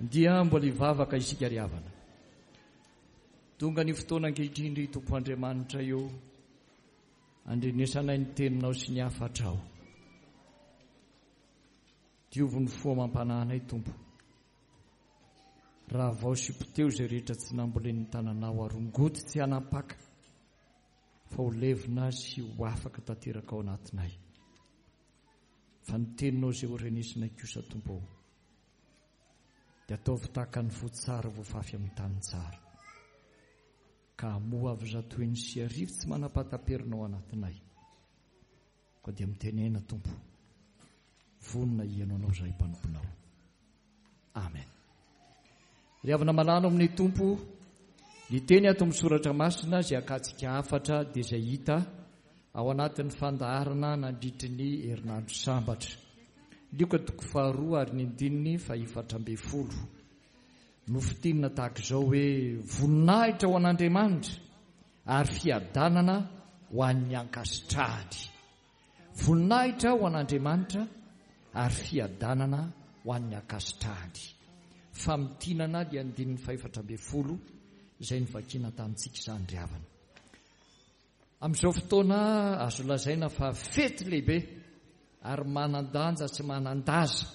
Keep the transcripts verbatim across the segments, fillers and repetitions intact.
Dia mbola hivavaka isika ry havana. Tonga ny fotoana ankehitriny ry Tompo Andriamanitra eo, andrenesanay ny teninao sy ny hafatrao. Diovy ny fo amam-panahinay Tompo. Raha vao sy poteo izay rehetra tsy nambolen'ny tananao, arongoty tsy hanapaka fa ho levona sy ho afaka tanteraka ao anatinay. Fa ny teninao izay ho renesinay kosa Tompo, dia ataovy tahaka ny voa tsara voafafy amin'ny tany tsara, ka hamoa avy zato heny sy arivo tsy manam-pahataperina ao anatinay. Koa dia mitenena Tompo, vonona hihaino anao izahay mpanomponao. Amen. Ry havana malala amin'ny Tompo, ny teny ato amin'ny soratra masina izay akantsika hafatra dia izay hita ao anatin'ny fandaharana nandritry ny herinandro sambatra. Lioka toko faharoa ary ny andininy fahefatra ambin'ny folo. Nofintinina tahaka izao hoe voninahitra ho an'Andriamanitra ary fiadanana ho an'ny ankasitrahany. Voninahitra ho an'Andriamanitra ary fiadanana ho an'ny ankasitrahany. Famintinana ny andininy fahefatra ambin'ny folo izay novakiana tamintsika izany ry havana. Amin'izao fotoana azo lazaina fa fety lehibe ary manan-danja sy manan-daza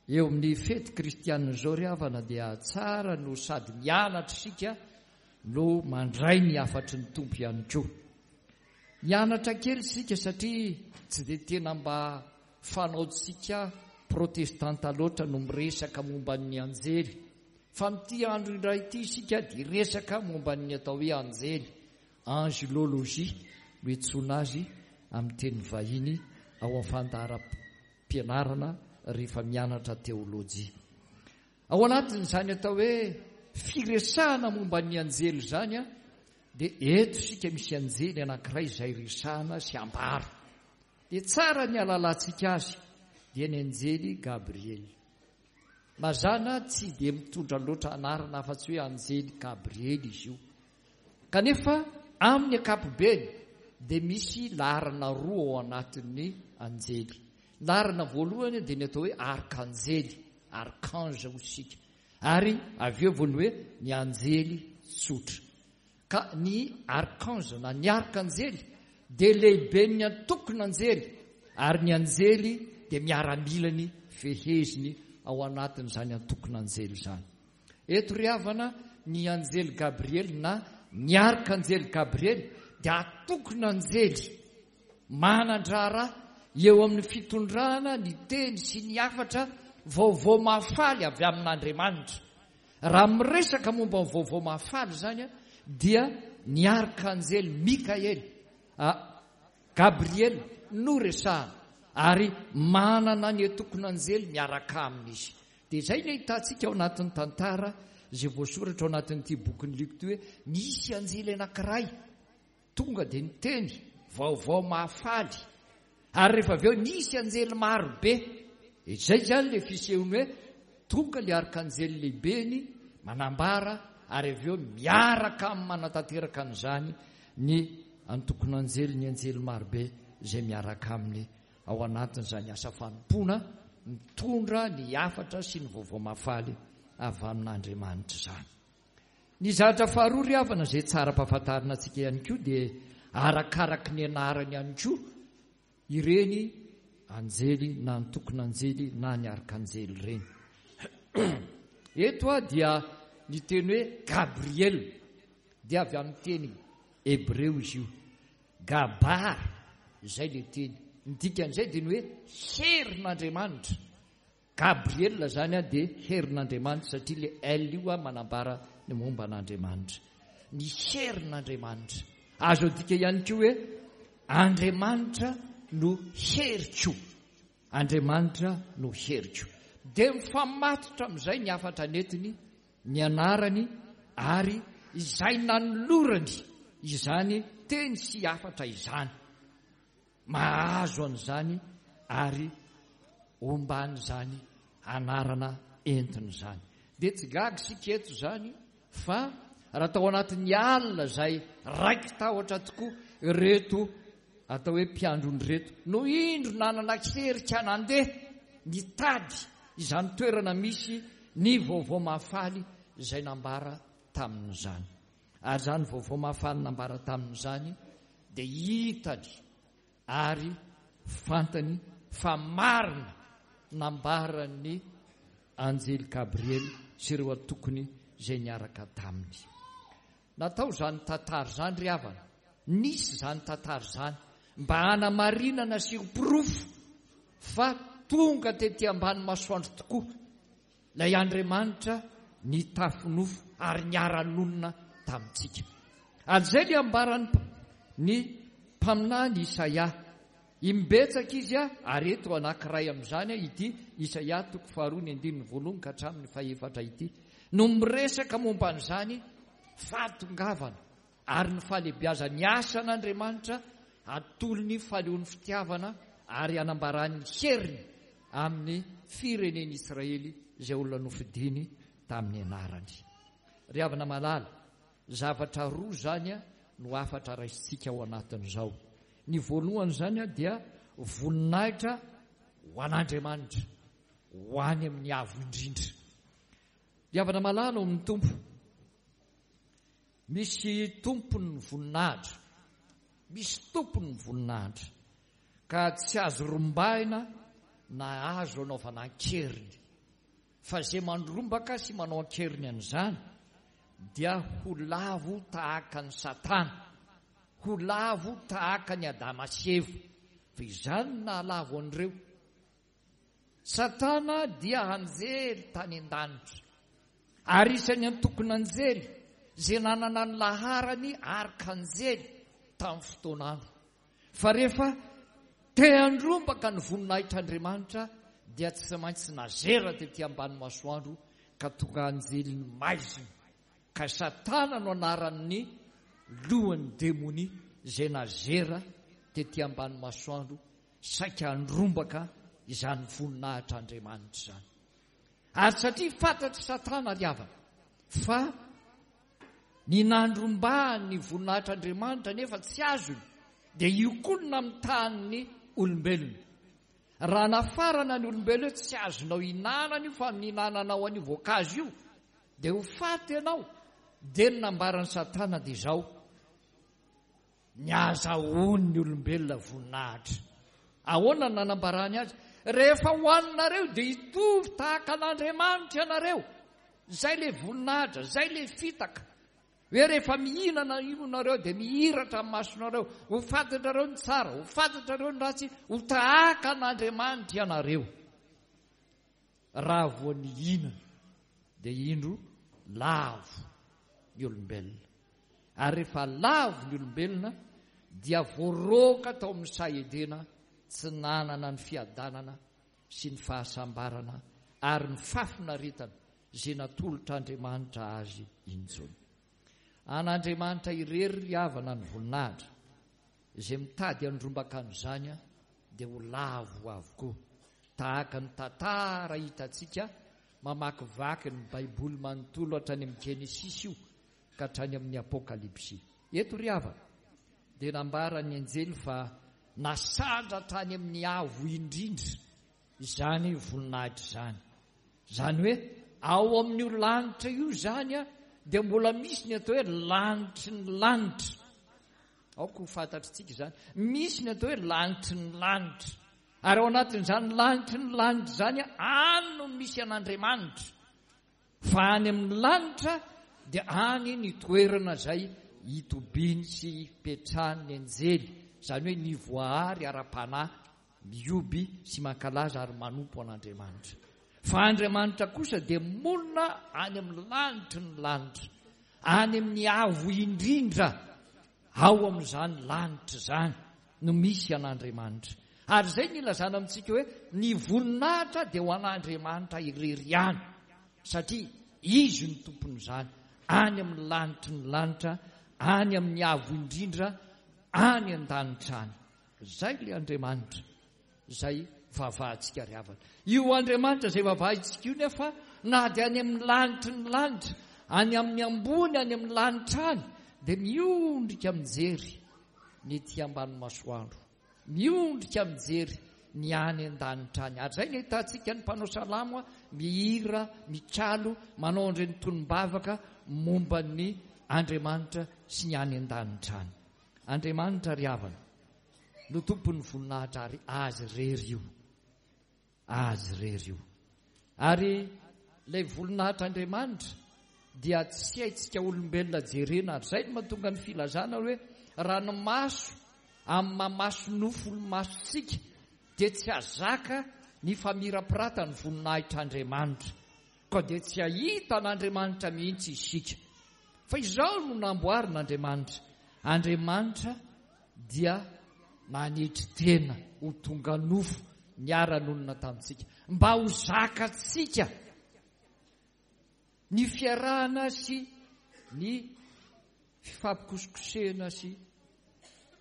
eo amin'ny fety kristianina izao ry havana, dia tsara no sady mianatra isika no mandray ny hafatry ny Tompo ihany koa. Mianatra kely isika satria tsy dia tena mba fanaontsika protestanta loatra no miresaka momba ny anjely. Fa amin'ity andro indray ity isika dia resaka momba ny atao hoe anjely, angelologie no iantsoana azy amin'ny teny vahiny ao amin'ny fandaharam-pianarana rehefa mianatra teolojia. Ao anatin'izany atao hoe firesahana momba ny anjely izany, dia eto isika misy anjely anankiray izay resahana sy ambara. Dia tsara ny ahalalantsika azy, dia ny anjely Gabriel. Mazàna tsy dia mitondra loatra anarana afa-tsy hoe anjely Gabriel izy io. Kanefa amin'ny ankapobeny dia misy laharana roa ao anatin'ny anjely. Laharana voalohany dia ny atao hoe arkanjely, archange hoy isika. Ary avy eo vao ny hoe ny anjely tsotra. Ka ny archange na ny arkanjely dia lehiben'ny antokon'anjely, ary ny anjely dia miaramilany feheziny ao anatin'izany antokon'anjely izany. Eto ry havana, ny anjely Gabriel na ny arkanjely Gabriel dia antokon'anjely manan-draharaha eo amin'ny fitondrana ny teny sy ny hafatra vaovao mahafaly avy amin'Andriamanitra. Raha miresaka momba ny vaovao mahafaly izany dia ny arkanjely Mikael, Gabriel no resahana, ary manana ny antokon'anjely miaraka aminy izy. Dia izay no ahitantsika ao anatin'ny tantara izay voasoratra ao anatin'ity bokin'ny Lioka ity hoe nisy anjely anankiray tonga dia niteny vaovao mahafaly, ary rehefa avy eo nisy anjely maro be. Izay izany ilay fisehony hoe tonga ilay arkanjely lehibeny manambara, ary avy eo miaraka amin'ny manatanteraka an'izany ny antokon'anjely, ny anjely maro be izay miaraka aminy ao anatin'izany asa fanompoana mitondra ny hafatra sy ny vaovao mahafaly avy amin'Andriamanitra izany. Ny zavatra faharoa ry havana izay tsara ampahafantarina antsika ihany koa dia arakaraky ny anarany ihany koa ireny anjely na antokon'anjely na ny arkanjely ireny. Eto dia ny teny hoe Gabriel dia avy amin'ny teny hebreo izy io. Gabar izay ilay teny. Ny dikan'izay dia ny hoe herin'Andriamanitra. Gabriel izany dia herin'Andriamanitra satria ilay L io manambara ny momba an'Andriamanitra. Ny herin'Andriamanitra. Azo adika ihany koa hoe Andriamanitra no heriko. Andriamanitra no heriko. Dia mifamatotra amin'izay ny hafatra nentiny, ny anarany ary izay nanolorany izany teny sy hafatra izany. Mahazo an'izany ary omban'izany anarana entiny izany. Dia tsy gaga isika eto izany fa raha tao anatin'ny alina izay raiki-tahotra tokoa ireto atao hoe mpiandrony ireto no indro nanana herika nandeha nitady izany toerana misy ny vaovao mahafaly izay nambara tamin'izany. Ary izany vaovao mahafaly nambara tamin'izany dia hitany ary fantany fa marina nambaran'ny anjely Gabriely sy ireo antokony izay niaraka taminy. Natao izany tantara izany ry havana, nisy izany tantara izany mba hanamarinana sy ho porofo fa tonga tety ambany masoandro tokoa ilay Andriamanitra nitafy nofo ary niara-nonina tamintsika. Ary izay ny ambaran'ny ny mpaminany Isaia. Imbetsaka izy ary eto anankiray amin'izany ity Isaia toko faharoa ny andininy voalohany ka hatramin'ny fahefatra ity no miresaka momba an'izany fahatongavana ary ny fahalehibiazan'ny asan'Andriamanitra atolony faleon'ny fitiavana ary anambarany heriny amin'ny firenen'Israely izay olona nofidiny tamin'ny anarany. Ry havana malala, zavatra roa zany no hafatra raisintsika ao anatin'izao. Ny voalohany zany dia voninahitra ho an'Andriamanitra, ho any amin'ny avo indrindra. Ry havana malala ao amin'ny Tompo, misy tompon'ny voninahitra, misy tompon'ny voninahitra ka tsy azo rombahina na azo anaovana an-keriny. Fa izay mandrombaka sy manao an-keriny an'izany dia ho lavo tahaka ny Satana, ho lavo tahaka ny Adama sy Eva. Fa izany no nahalavo an'ireo. Satana dia anjely tany an-danitra, ary isan'ny antokon'anjely izay nanana ny laharany arkanjely tamin'ny fotoan'andro. Fa rehefa te handrombaka ny voninahitr'Andriamanitra dia tsy maintsy nazera tety ambany masoandro ka tonga anjelin'ny maizina. Ka Satana no anaran'ny lohan'ny demonia izay nazera tety ambany masoandro saika handrombaka izany voninahitr'Andriamanitra izany. Ary satria fantatry Satana ry havana fa ny nandrombahany ny voninahitr'Andriamanitra nefa tsy azony, dia io koa no namitahan'ny olombelona. Raha nafarana ny olombelona hoe tsy azonao hinanana io fa mihinananao an'io voankazo io dia ho faty ianao, dia ny nambaran'i Satana dia izao: ny azahoan'ny olombelona voninahitra. Ahoana no nanambarany azy? Rehefa hohaninareo dia hitovy tahaka an'Andriamanitra ianareo. Izay ilay voninahitra, izay ilay fitaka. Hoe rehefa mihinana io nareo dia mihiratra amin'ny masonareo, ho fantatrareo ny tsara, ho fantatrareo ny ratsy, ho tahaka an'Andriamanitra ianareo. Raha vao nihinana dia indro lavo ny olombelona. Ary rehefa lavo ny olombelona dia voaroaka tao amin'ny saha Edena, tsy nanana ny fiadanana sy ny fahasambarana ary ny fahafinaretana izay natolotr'Andriamanitra azy intsony. An'Andriamanitra irery ry havana ny voninahitra. Izay mitady handrombaka an'izany dia ho lavo avokoa. Tahaka ny tantara hitantsika mamakivaky ny Baiboly manontolo hatrany amin'ny Genesisy io ka hatrany amin'ny Apokalypsy. Eto ry havana dia nambaran'ny anjely fa nasandratra any amin'ny avo indrindra izany voninahitra izany. Izany hoe ao amin'io lanitra io izany dia mbola misy ny atao hoe lanitry ny lanitra. Aoka ho fantatritsika izany. Misy ny atao hoe lanitry ny lanitra. Ary ao anatin'izany lanitry ny lanitra izany, any no misy an'Andriamanitra. Fa any amin'ny lanitra dia any ny toerana izay itobiany sy ipetrahany ny anjely, izany hoe ny voahary ara-panahy mihoby sy mankalaza ary manompo an'Andriamanitra. Fa Andriamanitra kosa dia monina any amin'ny lanitry ny lanitra, any amin'ny avo indrindra. Ao amin'izany lanitra izany no misy an'Andriamanitra. Ary izay no ilazana amintsika hoe ny voninahitra dia ho an'Andriamanitra irery ihany, satria Izy no tompon'izany, any amin'ny lanitry ny lanitra, any amin'ny avo indrindra, any an-danitra any. Izay ilay Andriamanitra izay vavahantsika ry havana. Io Andriamanitra izay vavahintsika io nefa na dia any amin'ny lanitry ny lanitra, any amin'ny ambony, any amin'ny lanitra any, dia miondrika mijery ny ety ambany masoandro, miondrika mijery ny any an-danitra any. Ary izay no ahitantsika ny mpanao salamo mihira, mikalo, manao an'ireny tonom-bavaka momba ny Andriamanitra sy ny any an-danitra any. Andriamanitra ry havana no tompon'ny voninahitra ary azy irery io. Azy irery io. Ary ilay voninahitr'Andriamanitra dia tsy haintsika olombelona jerena. Ary izay no mahatonga ny filazana hoe raha ny maso amin'ny mamaso nofo ny masontsika dia tsy hazaka ny famirapiratan'ny voninahitr'Andriamanitra. Koa dia tsy hahita an'Andriamanitra mihitsy isika. Fa izao no namboarin'Andriamanitra. Andriamanitra dia nanetry tena ho tonga nofo niara-nonina tamintsika mba ho zakantsika ny fiarahana sy ny fifampikosikosehana sy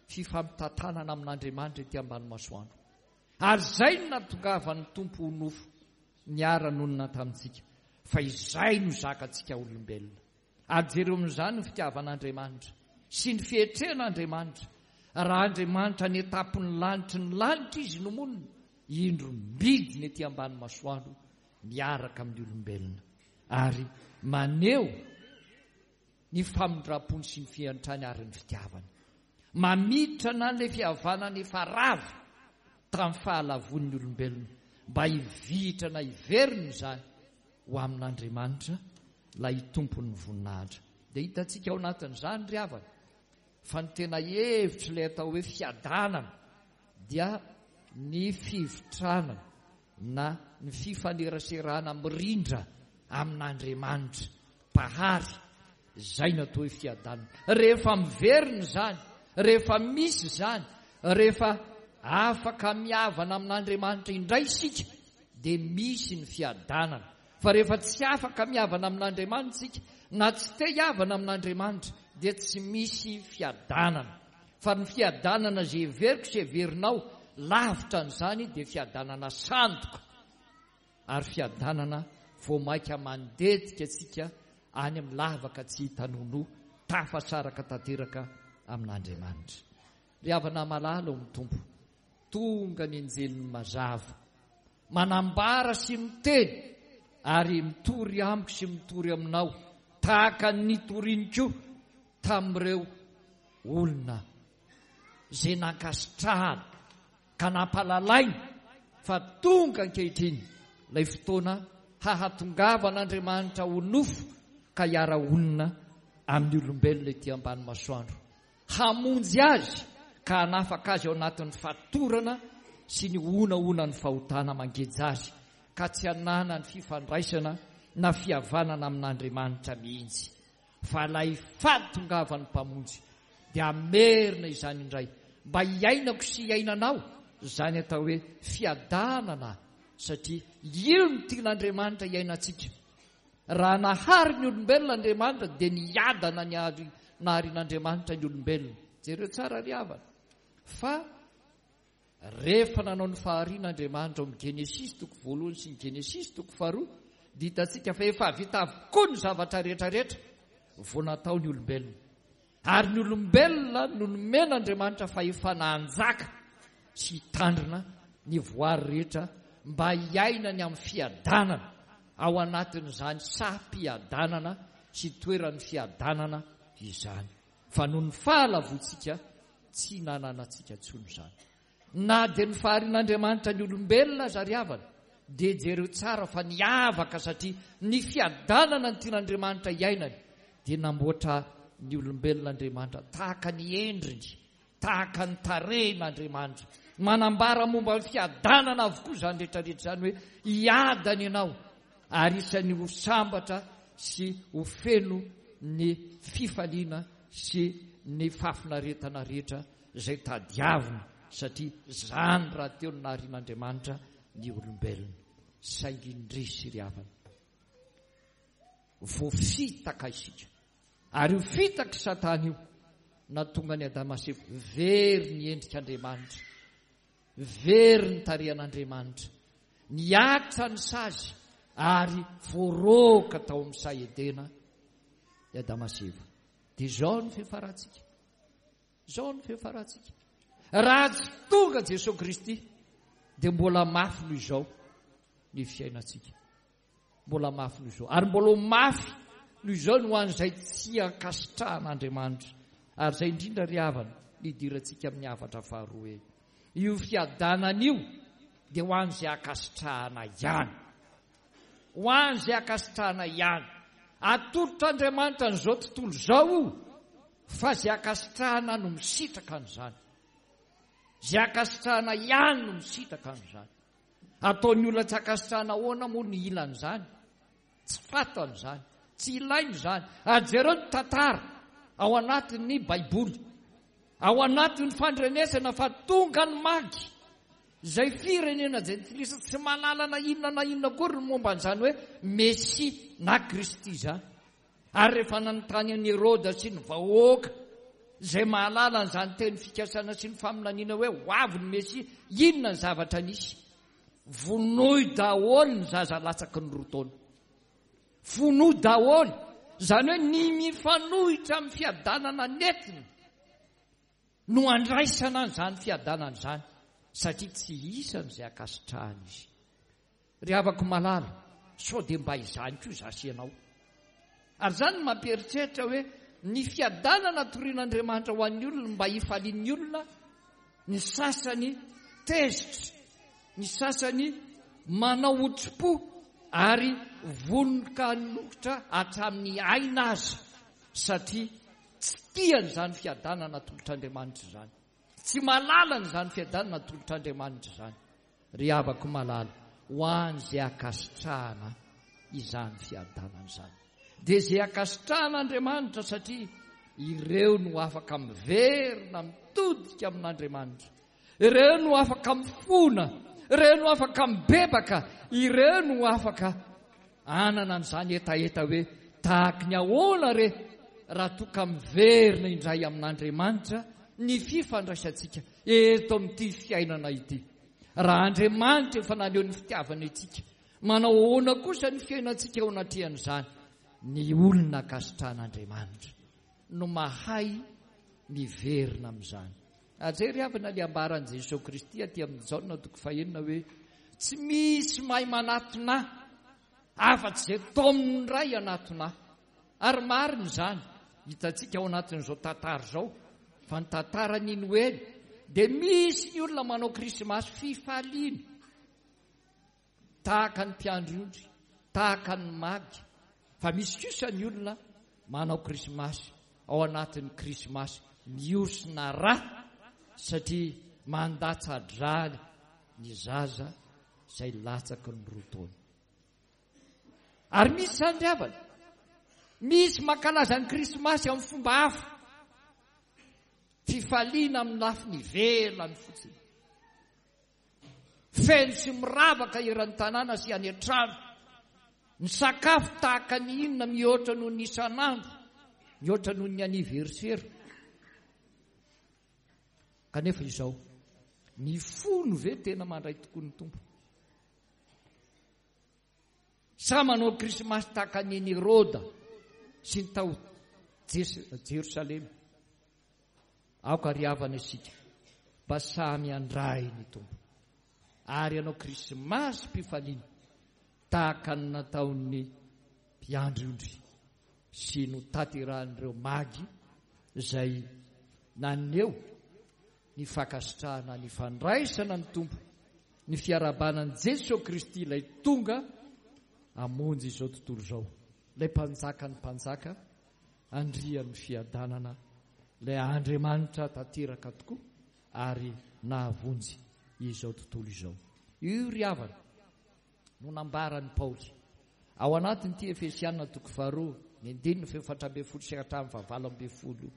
fifampitantanana amin'Andriamanitra ety ambany masoandro. Ary izay no nahatongavan'ny Tompo ho nofo niara-nonina tamintsika, fa izay no zakantsika olombelona. Ary jereo amin'izany ny fitiavan'Andriamanitra sy ny fietren'Andriamanitra. Raha Andriamanitra any an-tampon'ny lanitry ny lanitra Izy no monina, indro midina ety ambany masoandro miaraka amin'ny olombelona ary maneho ny famindrampony sy ny fiantrany ary ny fitiavany. Mamitrana an'ilay fihavanana efa rava tamin'ny fahalavoan'ny olombelona mba hivitrana hiverina izany ho amin'Andriamanitra ilay tompon'ny voninahitra. Dia hitantsika ao anatin'izany ry havana fa ny tena hevitr'ilay atao hoe fiadanana dia ny fivitranana na ny fifaneraserana mirindra amin'Andriamanitra Mpahary. Izay no atao hoe fiadanana. Rehefa miverina izany, rehefa misy izany, rehefa afaka mihavana amin'Andriamanitra indray isika dia misy ny fiadanana. Fa rehefa tsy afaka mihavana amin'Andriamanitra isika na tsy te hihavana amin'Andriamanitra dia tsy misy fiadanana. Fa ny fiadanana izay heveriko sy heverinao lavitra an'izany dia fiadanana sandoka ary fiadanana vao mainka mandetika antsika any amin'ny lavaka tsy hita nonoa, tafasaraka tanteraka amin'Andriamanitra. Ry havana malala ao amin'ny Tompo, tonga ny anjelin'ny mazava, manambara sy miteny ary mitory amiko sy mitory aminao tahaka ny nitoriny koa tamin'ireo olona izay nankasitrahana ka nampalalaina fa tonga ankehitriny ilay fotoana hahatongavan'Andriamanitra ho nofo ka hiara-honina amin'ny olombelona ety ambany masoandro, hamonjy azy ka hanafaka azy ao anatin'ny fatorana sy ny honahonan'ny fahotana mangeja azy ka tsy hananany fifandraisana na fihavanana amin'Andriamanitra mihitsy. Fa ilay fahatongavan'ny Mpamonjy dia hamerina izany indray mba hiainako sy hiainanao izany atao hoe fiadanana, satria io no tian'Andriamanitra hiainantsika. Raha nahary ny olombelona Andriamanitra dia niadana ny ary naharin'Andriamanitra ny olombelona. Jereo tsara ry havana fa rehefa nanao ny fahariana Andriamanitra ao amin'ny Genesisy toko voalohany sy ny Genesisy toko faharoa dia hitantsika fa efa vita avokoa ny zavatra rehetra rehetra vao natao ny olombelona. Ary ny olombelona no nomen'Andriamanitra fahefana hanjaka sy hitandrina ny voary rehetra mba hiainany amin'ny fiadanana ao anatin'izany saha-piadanana sy toeran'ny fiadanana izany. Fa noho ny fahalavoantsika tsy nananantsika intsony izany. Na dia ny faharian'Andriamanitra ny olombelona aza ry havana dia jereo tsara fa niavaka satria ny fiadanana ny tian'Andriamanitra hiainany dia namboatra ny olombelona Andriamanitra tahaka ny endriny, tahaka ny tarehin'Andriamanitra. Manambara momba ny fiadanana avokoa izany rehetra rehetra izany hoe hiadana ianao ary isan'ny ho sambatra sy ho feno ny fifaliana sy ny fahafinaretana rehetra izay tadiavina satria izany rahateo no naharian'Andriamanitra ny olombelona. Saingy indrisy ry havana, voafitaka isika. Ary io fitak'i Satana io nahatonga an'i Adama sy Eva very ny endrik'Andriamanitra, very ny tarehan'Andriamanitra, nihatra ny sazy ary voaroaka tao amin'ny saha Edena i Adama sy Eva. Dia izao ny fiafarantsika. Izao ny fiafarantsika. Raha tsy tonga Jesoa Kristy dia mbola mafy noho izao ny fiainantsika. Mbola mafy noho izao. Ary mbola ho mafy noho izao no ho an'izay tsy ankasitrahan'Andriamanitra. Ary izay indrindra ry havana, ny idirantsika amin'ny hafatra faharoa hoe io fiadanana io dia ho an'izay ankasitrahana ihany. Ho an'izay ankasitrahana ihany. Atolotr'Andriamanitra an'izao tontolo izao io, fa izay ankasitrahana no misitraka an'izany. Izay ankasitrahana ihany no misitraka an'izany. Ataon'ny olona tsy ankasitrahana ahoana moa ny ilan'izany? Tsy fantany izany, tsy ilainy izany. Ary jereo ny tantara ao anatin'ny Baiboly, ao anatin'ny fandrenesana fa tonga ny Magy, izay firenena jentilisa tsy mahalala na inona na inona akory ny momba an'izany hoe Mesia na Kristy izany. Ary rehefa nanontany an'i Heroda sy ny vahoaka izay mahalala an'izany teny fikasana sy ny faminaniana hoe ho avy ny Mesia, inona ny zavatra nisy? Vonoy daholo ny zaza latsaky ny roa taona. Vonoy daholo. Izany hoe ny mifanohitra amin'ny fiadanana nentina no andraisana an'izany fiadanana izany, satria tsy isan'izay ankasitrahana izy. Ry havako malala, sao dia mba izany koa izaho sy ianao. Ary izany no mampieritreritra hoe ny fiadanana torian'Andriamanitra ho an'ny olona mba hifalian'ny olona, ny sasany tezitra, ny sasany manao otri-po ary vonon-kanokotra hatramin'ny aina aza, satria tsy tiany izany fiadanana atolotr'Andriamanitra izany. Tsy mahalala an'izany fiadanana atolotr'Andriamanitra izany. Ry havako malala, ho an'izay ankasitrahana izany fiadanana izany. Dia izay ankasitrahan'Andriamanitra, satria ireo no afaka miverina mitodika amin'Andriamanitra. Ireo no afaka mifona, ireo no afaka mibebaka, ireo no afaka hanana an'izany hetaheta hoe tahaky ny ahoana re raha toa ka miverina indray amin'Andriamanitra ny fifandraisantsika eto amin'ity fiainana ity. Raha Andriamanitra efa naneho ny fitiavany antsika, manao ahoana kosa ny fiainantsika eo anatrehan'izany? Ny olona ankasitrahan'Andriamanitra no mahay miverina amin'izany. Ajery havana ny ambaran'i Jesoa Kristy aty amin'ny Jaona toko fahenina hoe tsy misy mahay manatona afa-tsy izay taomin'ny Ray hanatona. Ary marina izany, hitantsika ao anatin'izao tantara izao, fa ny tantaran'ny Noely dia misy ny olona manao krismasy fifaliana tahaka ny mpiandry ondry, tahaka ny magy, fa misy kosa ny olona manao krismasy ao anatin'ny krismasy mihosina rà satria mandatsa-drà ny zaza izay latsaky ny roa taona. Ary misy izany ry havana, misy mankalaza ny krismasy amin'ny fomba hafa, fifaliana amin'ny lafiny ivelany fotsiny, feno sy miravaka eran'ny tanàna sy any an-trano, ny sakafo tahaka ny inona mihoatra noho ny isan'andro, mihoatra noho ny anniversaire. Kanefa izao, ny fo no ve tena mandray tokoa ny Tompo? Sa manao krismasy tahaka ny Heroda sy ny tao Jerosalema? Aoka ry havana isika mba samy handray ny Tompo ary hanao krismasy mpifaliana tahaka ny nataon'ny mpiandry ondry sy notanterahan'ireo magy izay naneho ny fankasitrahana ny fandraisana ny Tompo, ny fiarahabana an'i Jesoa Kristy ilay tonga hamonjy izao tontolo izao, ilay mpanjakan'ny mpanjaka, andrian'ny fiadanana, ilay Andriamanitra tanteraka tokoa ary nahavonjy izao tontolo izao. Io ry havana no nambaran'i Paoly ao anatin'ity Efesiana toko faharoa, ny andininy fahefatra ambin'ny folo sy hatramin'ny fahavalo ambin'ny folo.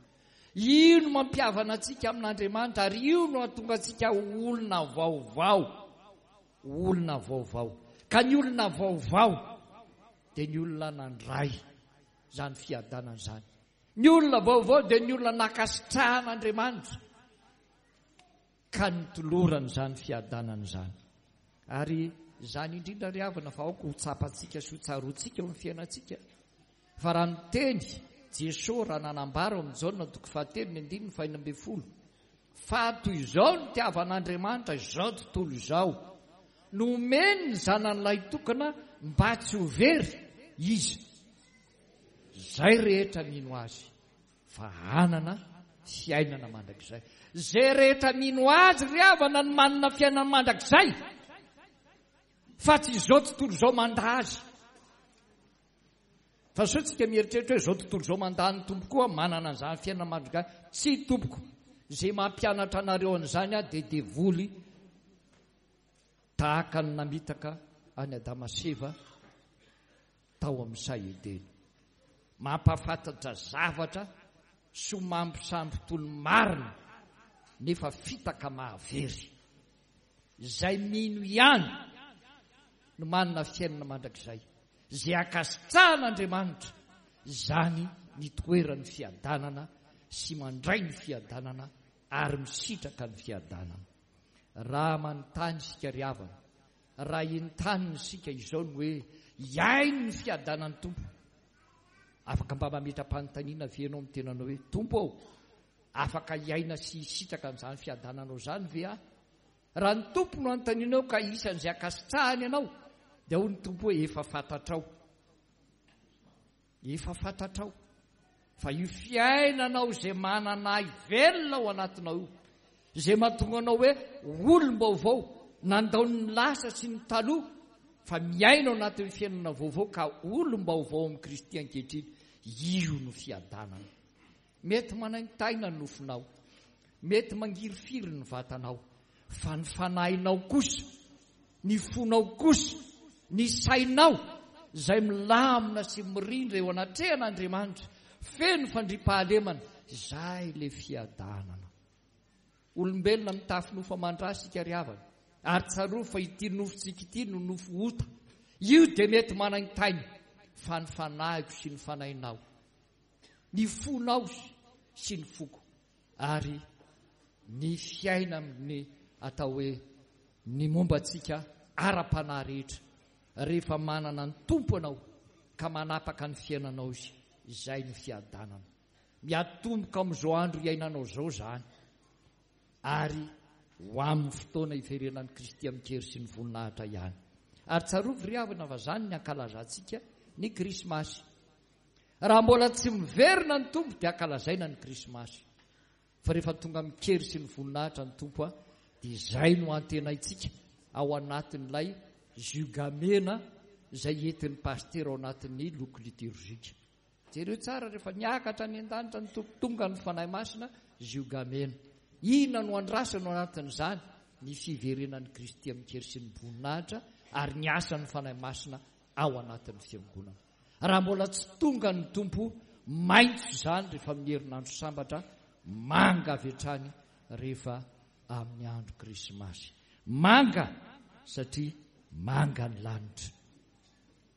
Io no mampihavana antsika amin'Andriamanitra ary io no hahatonga antsika ho olona vaovao. Olona vaovao. Ka ny olona vaovao dia ny olona nandray izany fiadanana izany. Ny olona vaovao dia ny olona nankasitrahan'Andriamanitra ka nitolorany izany fiadanana izany. Ary izany indrindra ry havana fa aoka ho tsapantsika sy ho tsaroantsika eo amin'ny fiainantsika. Fa raha niteny Jesoa raha nanambara ao amin'ny Jaona toko fahatelo ny andininy fahenina ambin'ny folo fa toy izao ny nitiavan'Andriamanitra izao tontolo izao Nomeny ny zanany lahitokana mba tsy ho very izy izay rehetra mino azy fa hanana fiainana mandrakizay. Izay rehetra mino azy ry havana no manana fiainana mandrakizay, fa tsy izao tontolo izao mandà azy. Fa sao tsika mieritreritra hoe izao tontolo izao mandà ny Tompo koa manana an'izany fiainana mandrakizay. Tsy tompoko, izay mampianatra anareo an'izany aho dia devoly tahaka ny namitaka an'i Adama sy Eva tao amin'ny saha Edena. Mampahafantatra zavatra somambisamby toy ny marina nefa fitaka mahavery. Izay mino ihany no manana fiainana mandrakizay. Izay ankasitrahan'Andriamanitra, izany ny toeran'ny fiadanana sy mandray ny fiadanana ary misitraka ny fiadanana. Raha manontany isika ry havana, raha entanina isika izao ny hoe hiaino ny fiadanan'ny Tompo, afaka mba mametra-panontaniana ve ianao amin'ny tenanao hoe Tompo ô, afaka hiaina sy hisitraka an'izany fiadananao izany ve aho? Raha ny Tompo no anontanianao ka isan'izay ankasitrahany ianao, dia hoy ny Tompo hoe efa fantatrao. Efa fantatrao fa io fiainanao izay manana ahy velona ao anatinao io, izay mahatonga anao hoe olom-baovao, nandao ny lasa sy ny taloha, fa miaina ao anatin'ny fiainana vaovao ka olom-baovao amin'i Kristy ankehitriny, io no fiadanana. Mety manaintaina ny nofonao, mety mangirifiry ny vatanao, fa ny fanahinao kosa, ny fonao kosa, ny sainao izay milamina sy mirindra eo anatrehan'Andriamanitra, feno fandriampahalemana, izay ilay fiadanana. Olombelona mitafy nofo aman-dra isika ry havana, ary tsarovy fa ity nofontsika ity no nofo ota. Io dia mety manaintaina, fa ny fanahiko sy ny fanahinao, ny fonao sy ny foko, ary ny fiainan'ny atao hoe ny momba antsika ara-panahy rehetra, rehefa manana ny Tompo ianao ka manapaka ny fiainanao izy, izay no fiadanana. Miatomboka amin'izao andro iainanao izao izany, ary ho amin'ny fotoana hiverenan'i Kristy amin-kery sy ny voninahitra ihany. Ary tsarovy ry havana fa izany ny ankalazantsika ny Krismasy. Raha mbola tsy miverina ny Tompo dia ankalazaina ny Krismasy. Fa rehefa tonga amin-kery sy ny voninahitra ny Tompo, dia izay no antenaintsika ao anatin'ilay ziogamena izay entin'ny pastera ao anatin'ny loko liturgique. Jereo tsara rehefa niakatra any an-danitra ny Tompo, tonga ny Fanahy Masina, ziogamena. Inona no andrasana ao anatin'izany? Ny fiverenan'i Kristy amin-kery sy ny voninahitra ary ny asan'ny Fanahy Masina ao anatin'ny fiangonana. Raha mbola tsy tonga ny Tompo, maitso izany rehefa amin'ny herinandro sambatra, manga avy hatrany rehefa amin'ny andro Krismasy. Manga satria manga ny lanitra.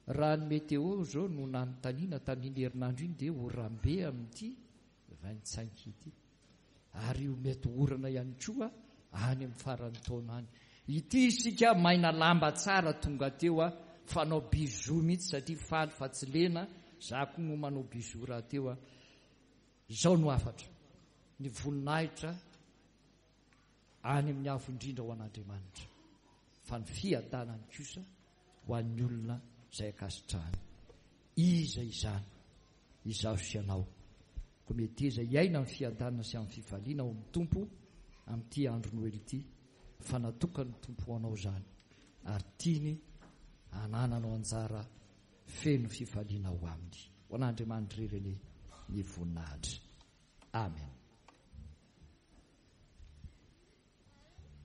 Raha ny météo izao no nanontaniana tamin'iny herinandro iny dia oram-be amin'ity vingt-cinq ity. Ary io mety orana ihany koa any amin'ny faran'ny taona any. Ity isika maina lamba tsara tonga teo a, fanao bisou mihitsy satria faly fa tsy lena, za koa moa manao bisou raha teo a. Izao no hafatra, ny voninahitra any amin'ny avo indrindra ho an'Andriamanitra, fa ny fiadanany kosa ho an'ny olona izay ankasitrahany. Iza izany? Izaho sy ianao. Koa meteza hiaina amin'ny fiadanana sy amin'ny fifaliana ao amin'ny Tompo amin'ity andro Noely ity, fa natokan'ny Tompo ho anao izany, ary tiany hanananao anjara feno fifaliana ao aminy. Ho an'Andriamanitra irery anie ny voninahitra. Amen.